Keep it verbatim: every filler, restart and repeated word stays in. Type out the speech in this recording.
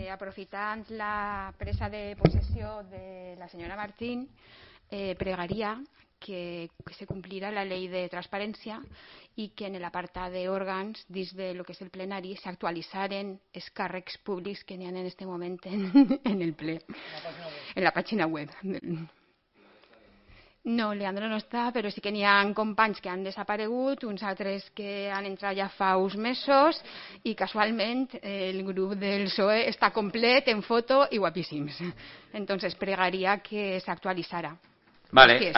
eh, aprofitant la presa de possessió de la senyora Martín, eh, pregaria que, que se complira la ley de transparència i que en l'apartat d'òrgans dins de lo que és el plenari s'actualitzaren els càrrecs públics que n'hi ha en aquest moment en, en el ple, en la pàgina web. No, Leandro no està, però sí que n'hi ha companys que han desaparegut, uns altres que han entrat ja fa uns mesos i casualment el grup del P S O E està complet en foto i guapíssims. Entonces pregaria que s'actualitzara. Vale, ara